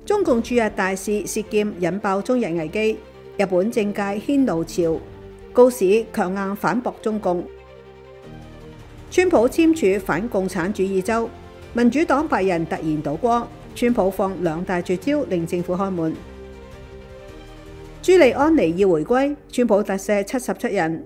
中共駐日大使涉劍引爆中日危機，日本政界掀怒潮，高市強硬反駁中共。川普簽署反共產主義州，民主黨8人突然倒戈，川普放2大絕招令政府開門。朱利安尼要回歸，川普特赦77人。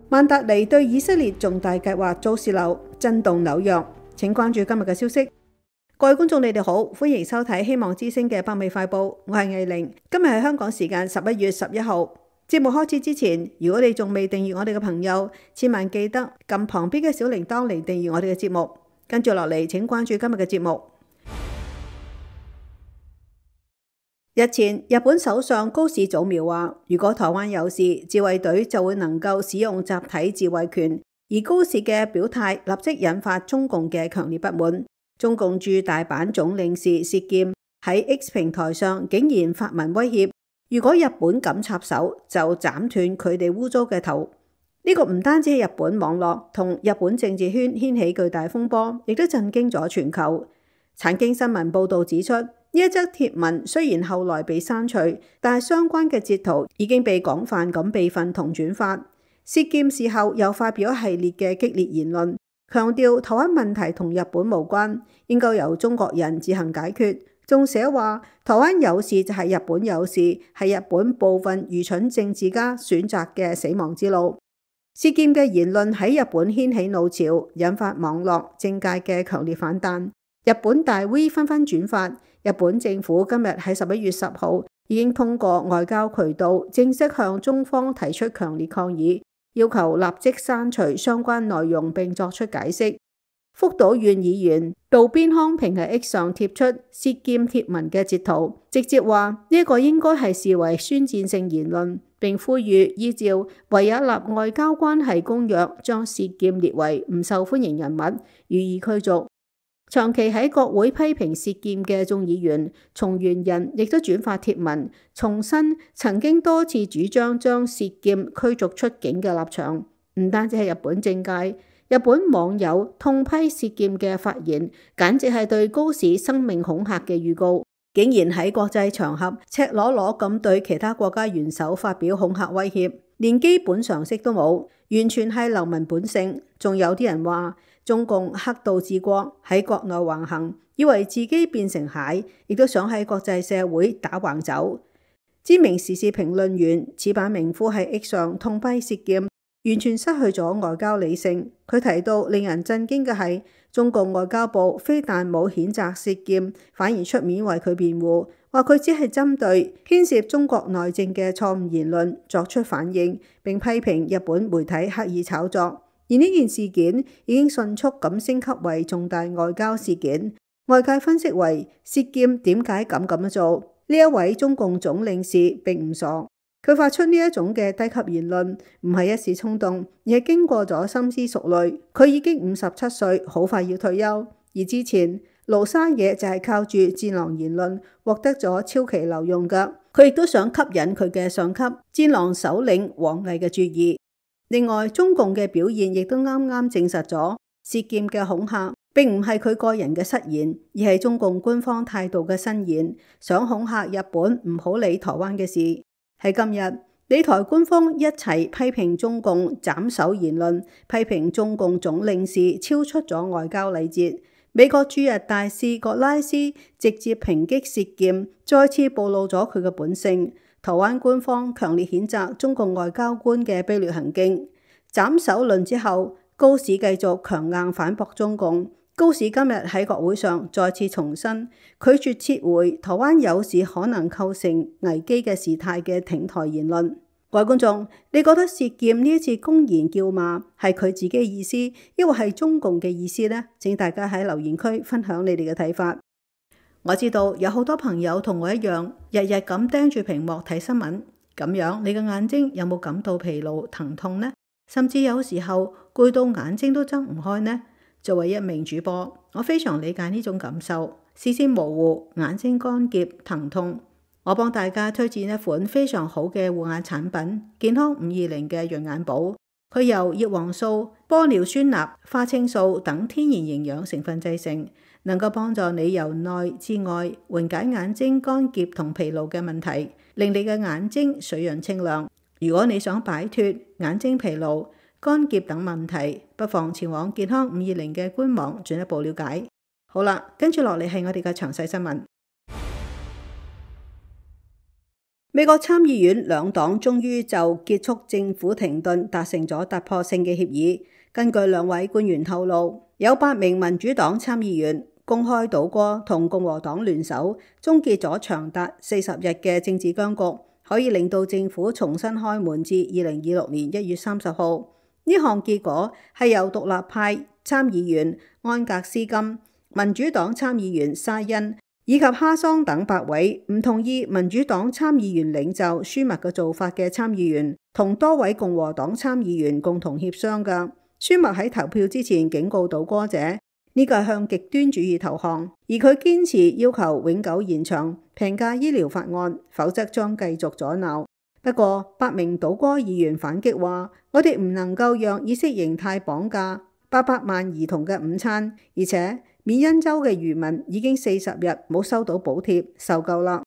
曼達尼對以色列重大計劃遭洩漏，震動紐約。請關注今日嘅消息。各位觀眾，你哋好，歡迎收睇希望之聲嘅北美快報，我係藝玲。今日係香港時間11月11號。節目開始之前，如果你仲未訂閱我哋嘅朋友，千萬記得撳旁邊嘅小鈴鐺嚟訂閱我哋嘅節目。跟住落嚟，請關注今日嘅節目。日前，日本首相高市早苗話，如果台灣有事，自衛隊就會能夠使用集體自衛權。而高市嘅表態立即引發中共嘅強烈不滿。中共駐大阪總領事涉劍喺 X 平台上竟然發文威脅，如果日本敢插手，就斬斷佢哋污糟嘅頭。呢個唔單止係日本網絡同日本政治圈掀起巨大風波，亦都震驚咗全球。產經新聞報導指出，呢一則貼文雖然後來被刪除，但係相關嘅截圖已經被廣泛咁備份同轉發。涉劍事後又發表一系列嘅激烈言論，強調台灣問題同日本無關，應該由中國人自行解決。仲寫話台灣有事就係日本有事，係日本部分愚蠢政治家選擇嘅死亡之路。涉劍嘅言論喺日本掀起怒潮，引發網絡政界嘅強烈反彈。日本大 V 紛紛轉發。日本政府今日喺11月10號已經通過外交渠道正式向中方提出強烈抗議，要求立即刪除相關內容並作出解釋。福島縣議員渡邊康平喺 X 上貼出涉劍貼文嘅截圖，直接話呢一個應該係視為宣戰性言論，並呼籲依照維也納外交關係公約將涉劍列為唔受歡迎人物，予以驅逐。長期喺國會批評涉劍嘅眾議員松原仁亦都轉發貼文，重申曾經多次主張將涉劍驅逐出境嘅立場。唔單止係日本政界，日本網友痛批涉劍嘅發言，簡直係對高市生命恐嚇嘅預告。竟然喺國際場合赤裸裸咁對其他國家元首發表恐嚇威脅，連基本常識都冇，完全係流氓本性。仲有啲人話中共黑道治國，喺國內橫行，以為自己變成蟹，亦都想喺國際社會打橫走。知名時事評論員矢板明夫喺 X 上痛批涉劍，完全失去咗外交理性。佢提到令人震驚嘅係，中共外交部非但冇譴責涉劍，反而出面為佢辯護，話佢只係針對牽涉中國內政嘅錯誤言論作出反應，並批評日本媒體刻意炒作。而呢件事件已經迅速咁升級為重大外交事件，外界分析為涉劍點解咁樣做？呢一位中共總領事並唔傻，佢發出呢一種嘅低級言論唔係一時衝動，而係經過咗深思熟慮。佢已經57歲，好快要退休。而之前盧沙野就係靠住戰狼言論獲得咗超期留用㗎，佢亦都想吸引佢嘅上級戰狼首領王毅嘅注意。另外，中共嘅表現亦都啱啱證實咗涉劍嘅恐嚇並唔係佢個人嘅失言，而係中共官方態度嘅伸延，想恐嚇日本唔好理台灣嘅事。喺今日，理台官方一齊批評中共斬首言論，批評中共總領事超出咗外交禮節。美國駐日大使葛拉斯直接抨擊涉劍，再次暴露咗佢嘅本性。台灣官方強烈譴責中共外交官嘅卑劣行徑。斬首論之後，高市繼續強硬反駁中共。高市今日喺國會上再次重申，拒絕撤回台灣有事可能構成危機嘅事態嘅挺台言論。各位觀眾，你覺得涉劍呢一次公然叫罵係佢自己嘅意思，抑或係中共嘅意思呢？請大家喺留言區分享你哋嘅睇法。我知道有好多朋友同我一樣，日日咁盯住屏幕睇新聞，咁樣你嘅眼睛有冇感到疲勞、疼痛呢？甚至有時候攰到眼睛都睜唔開呢？作為一名主播，我非常理解呢種感受，視線模糊、眼睛乾澀、疼痛。我幫大家推薦一款非常好嘅護眼產品——健康520嘅潤眼寶。佢由葉黃素、玻尿酸鈉、花青素等天然營養成分製成，能夠幫助你由內至外緩解眼睛乾澀同疲勞嘅問題，令你嘅眼睛水潤清亮。如果你想擺脫眼睛疲勞、乾澀等問題，不妨前往健康520嘅官網進一步了解。好啦，跟住落嚟係我哋嘅詳細新聞。美國參議院兩黨終於就結束政府停頓達成咗突破性嘅協議。根據兩位官員透露，有8名民主黨參議員公開倒戈同共和黨聯手，終結咗長達40日嘅政治僵局，可以令到政府重新開門至2026年1月30號。呢項結果係由獨立派參議員安格斯金、民主黨參議員沙恩以及哈桑等8位唔同意民主黨參議員領袖舒默嘅做法嘅參議員，同多位共和黨參議員共同協商㗎。舒默喺投票之前警告倒戈者，呢個係向極端主義投降，而佢堅持要求永久延長平價醫療法案，否則將繼續阻撓。不過8名倒戈議員反擊話，我哋唔能夠讓意識形態綁架800萬兒童嘅午餐，而且緬因州嘅漁民已經40日冇收到補貼，受夠啦。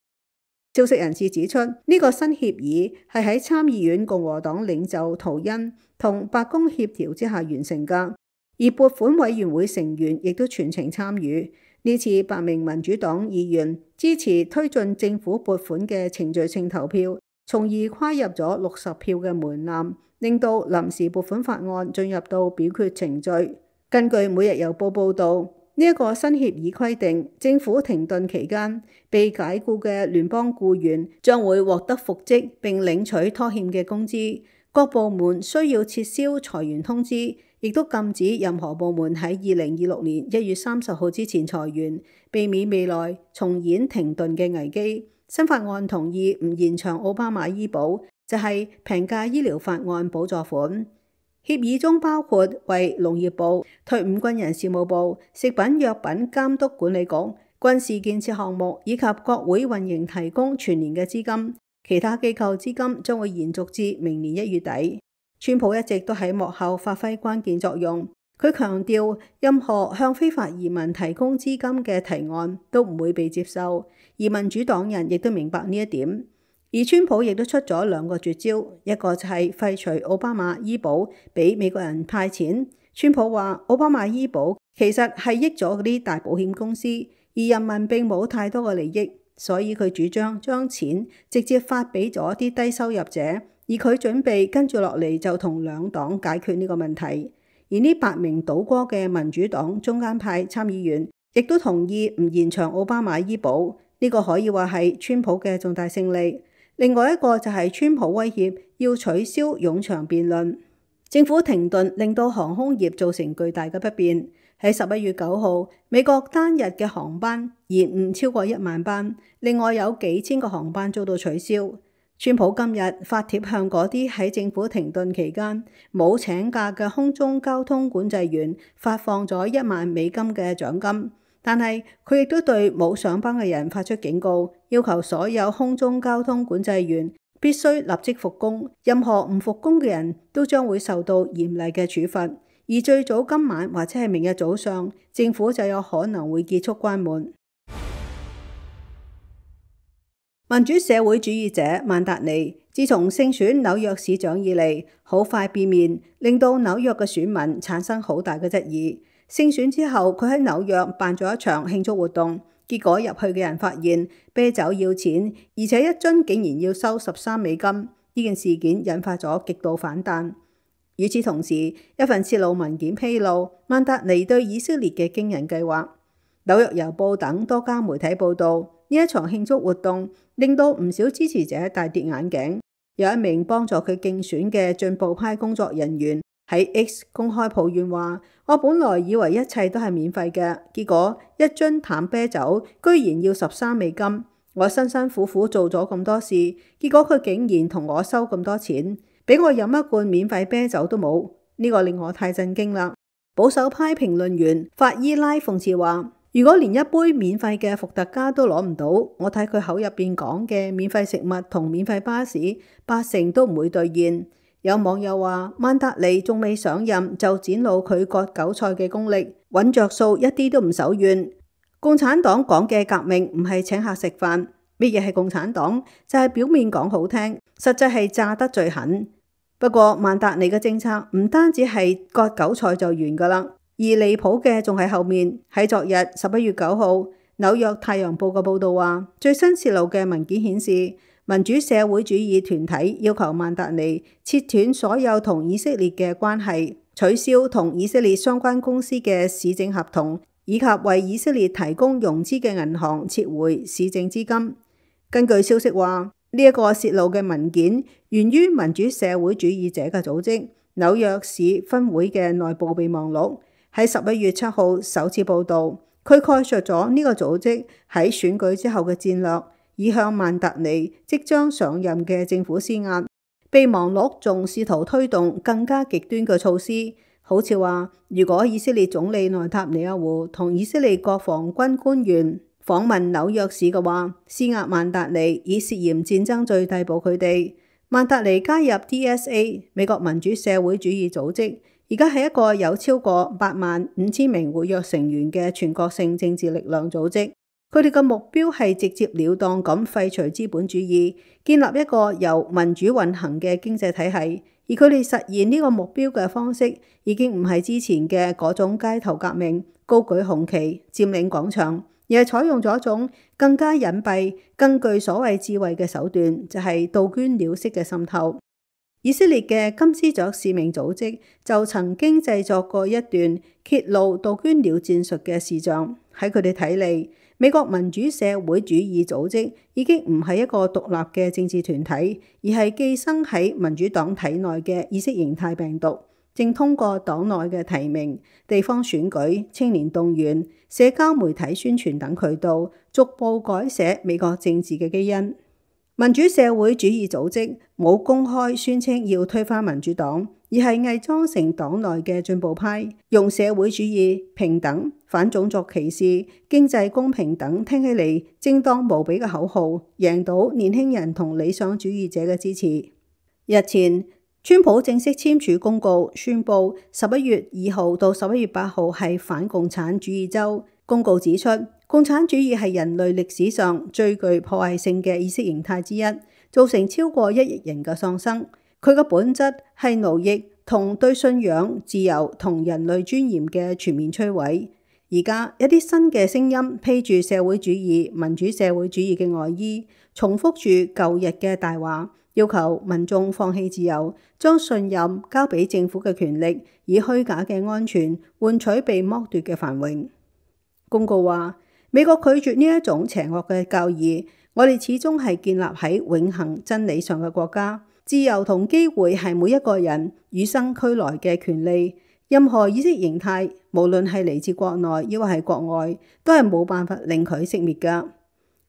消息人士指出，呢個新協議係喺參議院共和黨領袖圖恩同白宮協調之下完成㗎，而撥款委員會成員亦都全程參與。呢次8名民主黨議員支持推進政府撥款嘅程序性投票，從而跨入咗60票嘅門檻，令到臨時撥款法案進入到表決程序。根據《每日郵報》報導，呢一個新協議規定，政府停頓期間被解僱嘅聯邦僱員將會獲得復職並領取拖欠嘅工資。各部門需要撤銷裁員通知，亦都禁止任何部門喺2026年1月30號之前裁員，避免未來重演停頓嘅危機。新法案同意唔延長奧巴馬醫保，就係平價醫療法案補助款。協議中包括為農業部、退伍軍人事務部、食品藥品監督管理局、軍事建設項目以及國會運營提供全年嘅資金，其他機構資金將會延續至明年1月底。川普一直都喺幕後發揮關鍵作用，佢強調任何向非法移民提供資金嘅提案都唔會被接受，而民主黨人亦都明白呢一點。而川普亦都出咗2個絕招，一個就係廢除奧巴馬醫保，俾美國人派錢。川普話奧巴馬醫保其實係益咗嗰啲大保險公司，而人民並冇太多嘅利益，所以佢主張將錢直接發俾咗啲低收入者，而佢準備跟住落嚟就同兩黨解決呢個問題。而呢8名倒戈嘅民主黨中間派參議員亦都同意唔延長奧巴馬醫保，呢個可以話係川普嘅重大勝利。另外一個就係川普威脅要取消冗長辯論。政府停頓令到航空業造成巨大嘅不便。喺11月9號，美國單日嘅航班延誤超過1萬班，另外有幾千個航班遭到取消。川普今日發帖向嗰啲喺政府停頓期間冇請假嘅空中交通管制員發放咗1萬美金嘅獎金。但係佢亦都對冇上班嘅人發出警告，要求所有空中交通管制員必須立即復工，任何唔復工嘅人都將會受到嚴厲嘅處罰。而最早今晚或者係明日早上，政府就有可能會結束關門。民主社會主義者曼達尼自從勝選紐約市長以嚟，好快變面，令到紐約嘅選民產生好大嘅質疑。勝選之後，佢喺紐約辦咗一場慶祝活動，結果入去嘅人發現啤酒要錢，而且一樽竟然要收13美金。呢件事件引發咗極度反彈。與此同時，一份泄露文件披露曼達尼對以色列嘅驚人計劃。紐約郵報等多家媒體報道，呢一場慶祝活動令到唔少支持者大跌眼鏡。有一名幫助佢競選嘅進步派工作人員喺 X 公開抱怨話：我本來以為一切都係免費嘅，結果一樽淡啤酒居然要13美金。我辛辛苦苦做咗咁多事，結果佢竟然同我收咁多錢，俾我飲一罐免費啤酒都冇。呢個令我太震驚啦。保守派評論員法伊拉諷刺話：如果連一杯免費嘅伏特加都攞唔到，我睇佢口入邊講嘅免費食物同免費巴士80%都唔會兌現。有網友話曼達尼仲未上任就展露佢割韭菜嘅功力，揾着數一啲都唔手軟。共產黨講嘅革命唔係請客食飯，乜嘢係共產黨？就係表面講好聽，實際係炸得最狠。不過曼達尼嘅政策唔單止係割韭菜就完噶啦，而離譜嘅仲喺後面。喺昨日11月9號，紐約太陽報嘅報道話，最新洩露嘅文件顯示，民主社會主義團體要求曼達尼切斷所有同以色列嘅關係，取消同以色列相關公司嘅市政合同，以及為以色列提供融資嘅銀行撤回市政資金。根據消息話，呢一個洩露嘅文件源於民主社會主義者嘅組織紐約市分會嘅內部備忘錄，喺11月7號首次報導。佢概述咗呢個組織喺選舉之後嘅戰略，以向曼達尼即將上任嘅政府施壓。備忘錄仲試圖推動更加極端嘅措施，好似話如果以色列總理內塔尼亞胡同以色列國防軍官員訪問紐約市嘅話，施壓曼達尼以涉嫌戰爭罪逮捕佢哋。曼達尼加入 DSA 美國民主社會主義組織，而家係一個有超過85000名活躍成員嘅全國性政治力量組織。佢哋嘅目標係直接了當咁廢除資本主義，建立一個由民主運行嘅經濟體系。而佢哋實現呢個目標嘅方式，已經唔係之前嘅嗰種街頭革命、高舉紅旗、佔領廣場，而係採用咗一種更加隱蔽、更具所謂智慧嘅手段，就係杜鵑鳥式嘅滲透。以色列嘅金絲雀使命組織就曾經製作過一段揭露杜鵑鳥戰術嘅視像。喺佢哋睇嚟，美國民主社會主義組織已經唔係一個獨立嘅政治團體，而係寄生喺民主黨體內嘅意識形態病毒，正通過黨內嘅提名、地方選舉、青年動員、社交媒體宣傳等渠道，逐步改寫美國政治嘅基因。民主社會主義組織冇公開宣稱要推翻民主黨，而係偽裝成黨內嘅進步派，用社會主義、平等、反種族歧視、經濟公平等聽起嚟正當無比嘅口號，贏到年輕人同理想主義者嘅支持。日前，川普正式簽署公告，宣布11月2號到11月8號係反共產主義週。公告指出，共產主義係人類歷史上最具破壞性嘅意識形態之一，造成超過1億人嘅喪生。佢嘅本質係奴役同對信仰、自由同人類尊嚴嘅全面摧毀。而家一啲新嘅聲音披住社會主義、民主社會主義嘅外衣，重複住舊日嘅大話，要求民眾放棄自由，將信任交俾政府嘅權力，以虛假嘅安全換取被剝奪嘅繁榮。公告話，美國拒絕呢一種邪惡嘅教義，我哋始終係建立喺永恆真理上嘅國家。自由同機會係每一個人與生俱來嘅權利。任何意識形態，無論係嚟自國內抑或係國外，都係冇辦法令佢熄滅㗎。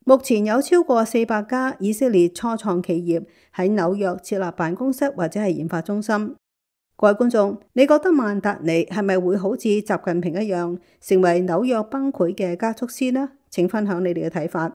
目前有超過400家以色列初創企業喺紐約設立辦公室或者係研發中心。各位觀眾，你覺得曼達尼係咪會好似習近平一樣，成為紐約崩潰嘅加速師呢？請分享你哋嘅睇法。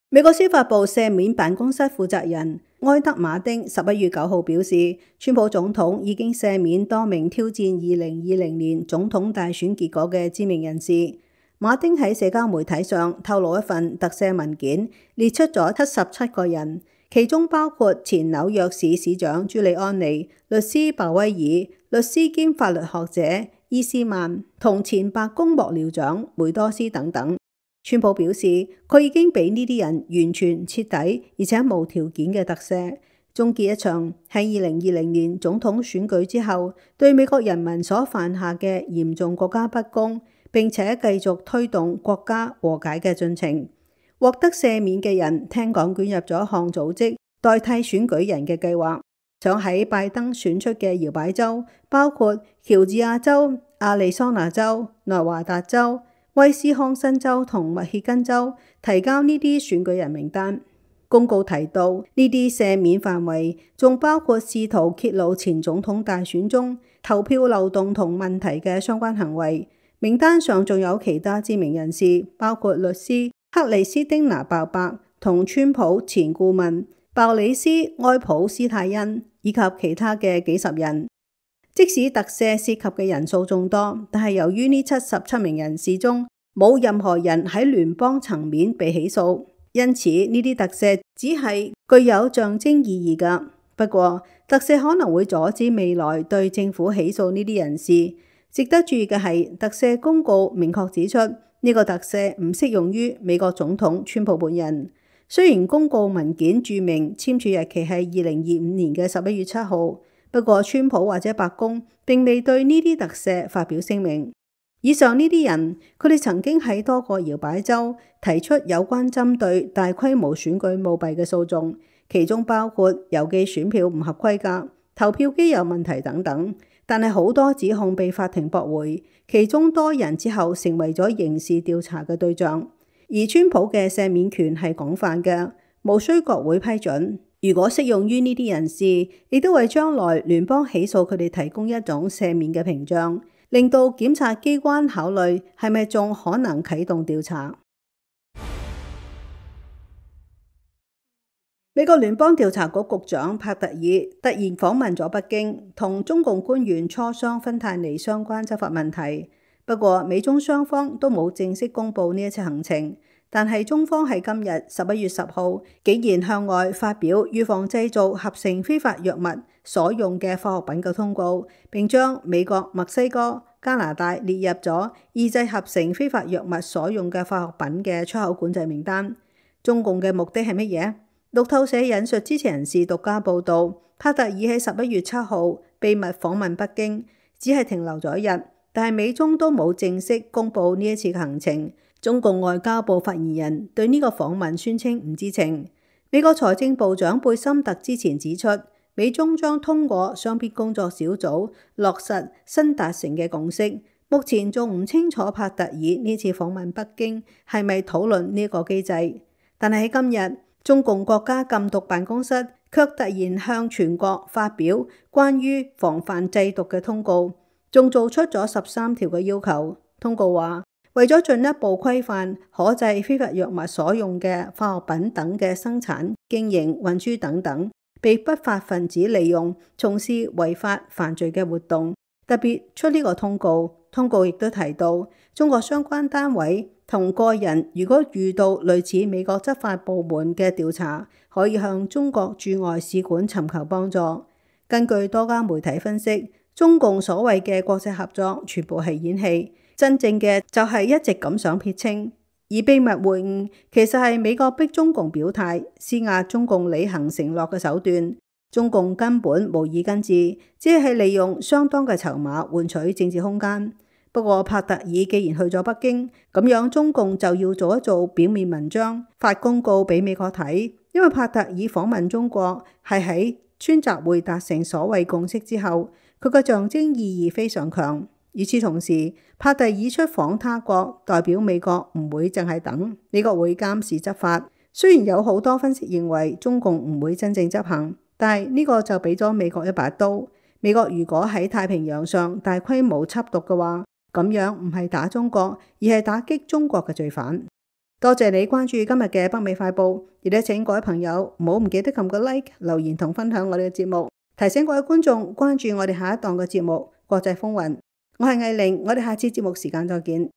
美國司法部赦免辦公室負責人埃德馬丁11月9號表示，川普總統已經赦免多名挑戰2020年總統大選結果嘅知名人士。馬丁喺社交媒體上透露一份特赦文件，列出咗77個人，其中包括前紐約市市長朱利安尼、律師鮑威爾、律師兼法律學者伊斯曼同前白宮幕僚長梅多斯等等。川普表示，佢已經俾呢啲人完全徹底而且無條件嘅特赦，終結一場喺2020年總統選舉之後對美國人民所犯下嘅嚴重國家不公，並且繼續推動國家和解嘅進程。獲得赦免嘅人聽講捲入咗一項組織代替選舉人嘅計劃，想喺拜登選出嘅搖擺州，包括喬治亞州、亞利桑那州、內華達州、威斯康辛州同密歇根州提交呢啲選舉人名單。公告提到，呢啲赦免範圍仲包括試圖揭露前總統大選中投票漏洞同問題嘅相關行為。名單上仲有其他知名人士，包括律師克里斯汀娜鮑伯同川普前顧問鮑里斯埃普斯泰恩以及其他嘅幾十人。即使特赦涉及嘅人數眾多，但係由於呢77名人士中冇任何人喺聯邦層面被起訴，因此呢啲特赦只係具有象徵意義㗎。不過，特赦可能會阻止未來對政府起訴呢啲人士。值得注意嘅係，特赦公告明確指出，呢個特赦唔適用於美國總統川普本人。雖然公告文件註明簽署日期係2025年嘅11月7號，不過川普或者白宮並未對呢啲特赦發表聲明。以上呢啲人，佢哋曾經喺多個搖擺州提出有關針對大規模選舉舞弊嘅訴訟，其中包括郵寄選票唔合規格、投票機有問題等等。但係好多指控被法庭駁回，其中多人之後成為咗刑事調查嘅對象。而川普嘅赦免權係廣泛嘅，無需國會批准。如果適用於呢啲人士，亦都為將來聯邦起訴佢哋提供一種赦免嘅屏障，令到檢察機關考慮係咪仲可能啟動調查。美國聯邦調查局局長帕特爾突然訪問咗北京，同中共官員磋商芬太尼相關執法問題。不過，美中雙方都冇正式公布呢一次行程。但係中方喺今日11月10號，竟然向外發表預防製造合成非法藥物所用嘅化學品嘅通告，並將美國、墨西哥、加拿大列入咗抑制合成非法藥物所用嘅化學品嘅出口管制名單。中共嘅目的係乜嘢？路透社引述知情人士獨家報導，帕特爾喺11月7號秘密訪問北京，只係停留咗一日，但係美中都冇正式公布呢一次嘅行程。中共外交部發言人對呢個訪問宣稱唔知情。美國財政部長貝森特之前指出，美中將通過雙邊工作小組落實新達成嘅共識。目前仲唔清楚帕特爾呢次訪問北京係咪討論呢個機制。但係喺今日，中共國家禁毒辦公室卻突然向全國發表關於防範製毒嘅通告，仲做出咗13條嘅要求。通告話，為咗進一步規範可製非法藥物所用嘅化學品等嘅生產、經營、運輸等等，被不法分子利用從事違法犯罪嘅活動，特別出呢個通告。通告亦都提到，中國相關單位同個人如果遇到類似美國執法部門嘅調查，可以向中國駐外使館尋求幫助。根據多家媒體分析，中共所謂嘅國際合作全部係演戲。真正嘅就係一直咁想撇清，而秘密會晤其實係美國逼中共表態、施壓中共履行承諾嘅手段。中共根本無意根治，只係利用相當嘅籌碼換取政治空間。不過帕特爾既然去咗北京，咁樣中共就要做一做表面文章，發公告俾美國睇，因為帕特爾訪問中國係喺川習會達成所謂共識之後，佢嘅象徵意義非常強。與此同時，帕特爾出訪他國，代表美國唔會淨係等，美國會監視執法。雖然有好多分析認為中共唔會真正執行，但係呢個就俾咗美國一把刀。美國如果喺太平洋上大規模緝毒嘅話，咁樣唔係打中國，而係打擊中國嘅罪犯。多謝你關注今日嘅北美快報，亦都請各位朋友唔好唔記得撳個 like、留言同分享我哋嘅節目，提醒各位觀眾關注我哋下一檔嘅節目《國際風雲》。我係藝玲，我哋下次節目時間再見。